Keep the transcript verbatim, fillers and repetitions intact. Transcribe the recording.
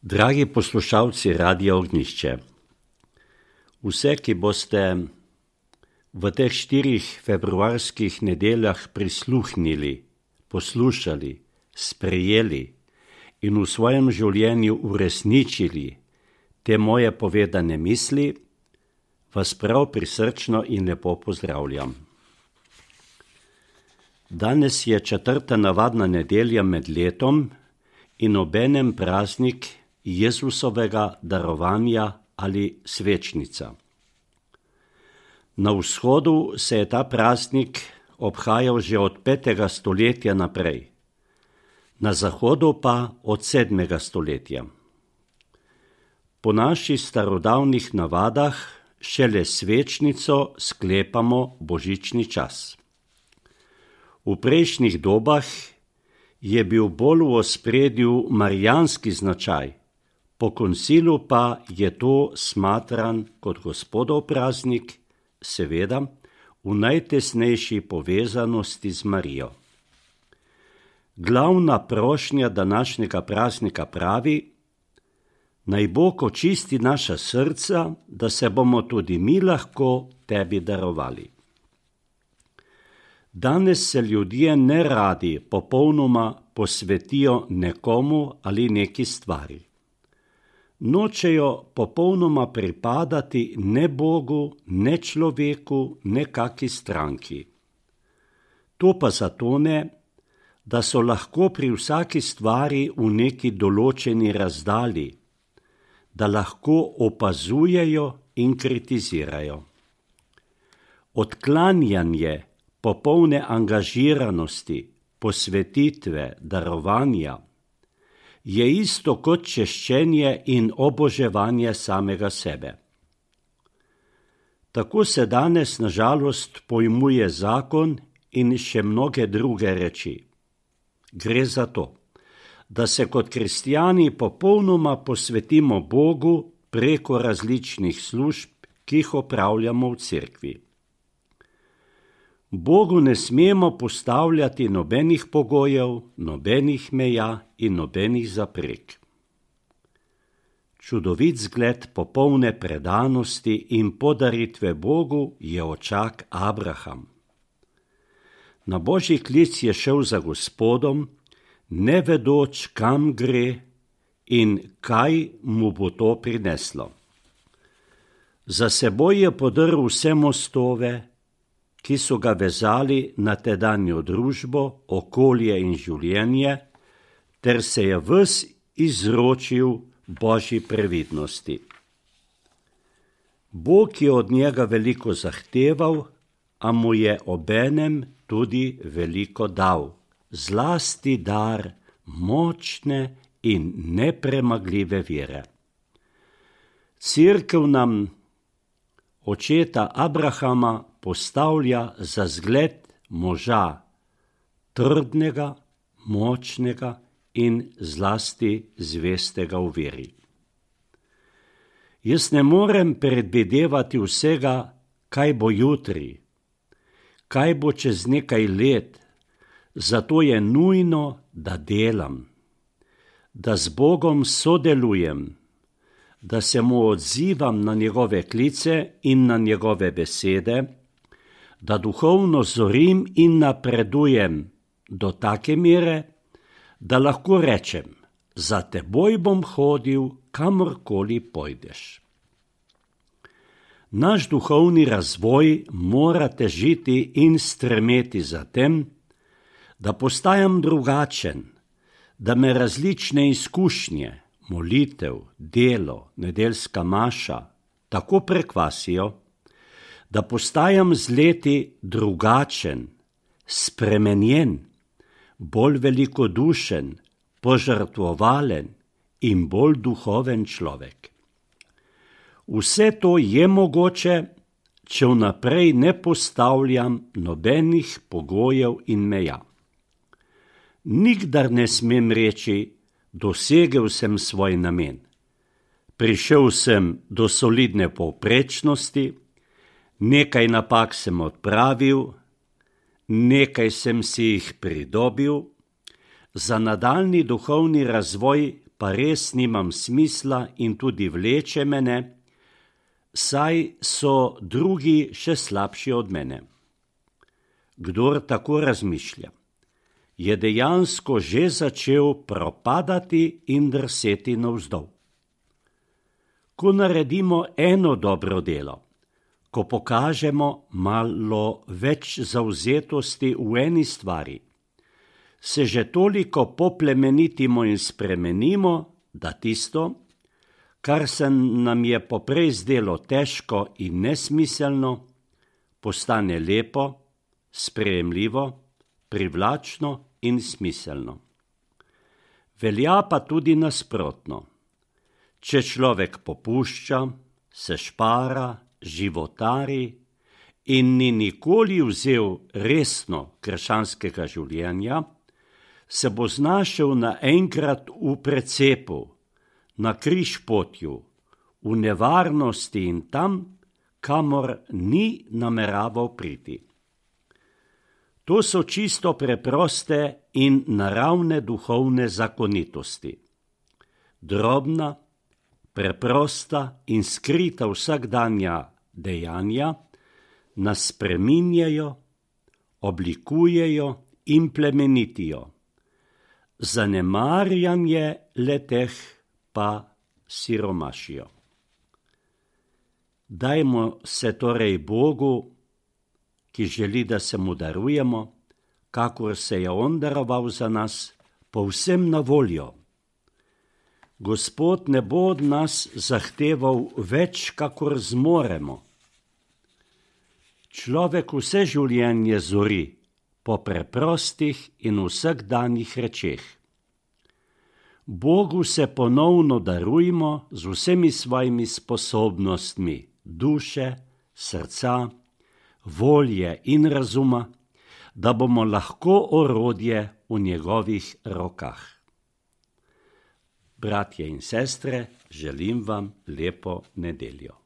Dragi poslušalci Radia Ognjišče, vse, ki boste v teh štirih februarskih nedeljah prisluhnili, poslušali, sprejeli in v svojem življenju uresničili te moje povedane misli, vas prav prisrčno in lepo pozdravljam. Danes je četrta navadna nedelja med letom in obenem praznik Jezusovega darovanja ali svečnica. Na vzhodu se je ta praznik obhajal že od petega stoletja naprej, na zahodu pa od sedmega stoletja. Po naših starodavnih navadah šele svečnico sklepamo božični čas. V prejšnjih dobah je bil bolj v ospredju marijanski značaj, po koncilu pa je to smatran kot Gospodov praznik, seveda v najtesnejši povezanosti z Marijo. Glavna prošnja današnjega praznika pravi: naj Bog očisti naša srca, da se bomo tudi mi lahko tebi darovali. Danes se ljudje neradi popolnoma posvetijo nekomu ali neki stvari. Nočejo popolnoma pripadati ne Bogu, ne človeku, ne kaki stranki. To pa zato ne, da so lahko pri vsaki stvari v neki določeni razdalji, da lahko opazujejo in kritizirajo. Odklanjanje popolne angažiranosti, posvetitve, darovanja je isto kot češčenje in oboževanje samega sebe. Tako se danes na žalost pojmuje zakon in še mnoge druge reči. Gre za to, da se kot kristjani popolnoma posvetimo Bogu preko različnih služb, ki jih opravljamo v cerkvi. Bogu ne smemo postavljati nobenih pogojev, nobenih meja in nobenih zaprek. Čudovit zgled popolne predanosti in podaritve Bogu je očak Abraham. Na Božji klic je šel za Gospodom, ne vedoč, kam gre in kaj mu bo to prineslo. Za seboj je podrl vse mostove, ki so ga vezali na tedanjo družbo, okolje in življenje, ter se je ves izročil Božji previdnosti. Bog je od njega veliko zahteval, a mu je obenem tudi veliko dal, zlasti dar močne in nepremagljive vere. Cerkev nam očeta Abrahama postavlja za zgled moža, trdnega, močnega in zlasti zvestega v veri. Jaz ne morem predvidevati vsega, kaj bo jutri, kaj bo čez nekaj let, zato je nujno, da delam, da z Bogom sodelujem, da se mu odzivam na njegove klice in na njegove besede, da duhovno zorim in napredujem do take mere, da lahko rečem: za teboj bom hodil, kamorkoli pojdeš. Naš duhovni razvoj mora težiti in stremeti za tem, da postajam drugačen, da me različne izkušnje, molitev, delo, nedeljska maša tako prekvasijo, da postajam z leti drugačen, spremenjen, bolj velikodušen, požrtvovalen in bolj duhoven človek. Vse to je mogoče, če vnaprej ne postavljam nobenih pogojev in meja. Nikdar ne smem reči: dosegel sem svoj namen. Prišel sem do solidne povprečnosti, nekaj napak sem odpravil, nekaj sem si jih pridobil, za nadaljnji duhovni razvoj pa res nimam smisla in tudi vleče mene, saj so drugi še slabši od mene. Kdor tako razmišlja, je dejansko že začel propadati in drseti navzdol. Ko naredimo eno dobro delo, ko pokažemo malo več zavzetosti v eni stvari, se že toliko poplemenitimo in spremenimo, da tisto, kar se nam je poprej zdelo težko in nesmiselno, postane lepo, sprejemljivo, privlačno in smiselno. Velja pa tudi nasprotno. Če človek popušča, se špara, životari in ni nikoli vzel resno krščanskega življenja, se bo znašel naenkrat v precepu, na križpotju, v nevarnosti in tam, kamor ni nameraval priti. To so čisto preproste in naravne duhovne zakonitosti. Drobna, preprosta in skrita vsakdanja dejanja nas spreminjajo, oblikujejo in plemenitijo. Zanemarjanje le-teh pa siromašijo. Dajmo se torej Bogu, ki želi, da se mu darujemo, kakor se je on daroval za nas, povsem na voljo. Gospod ne bo od nas zahteval več, kakor zmoremo. Človek vse življenje zori po preprostih in vsakdanjih rečeh. Bogu se ponovno darujmo z vsemi svojimi sposobnostmi duše, srca, volje in razuma, da bomo lahko orodje v njegovih rokah. Bratje in sestre, želim vam lepo nedeljo.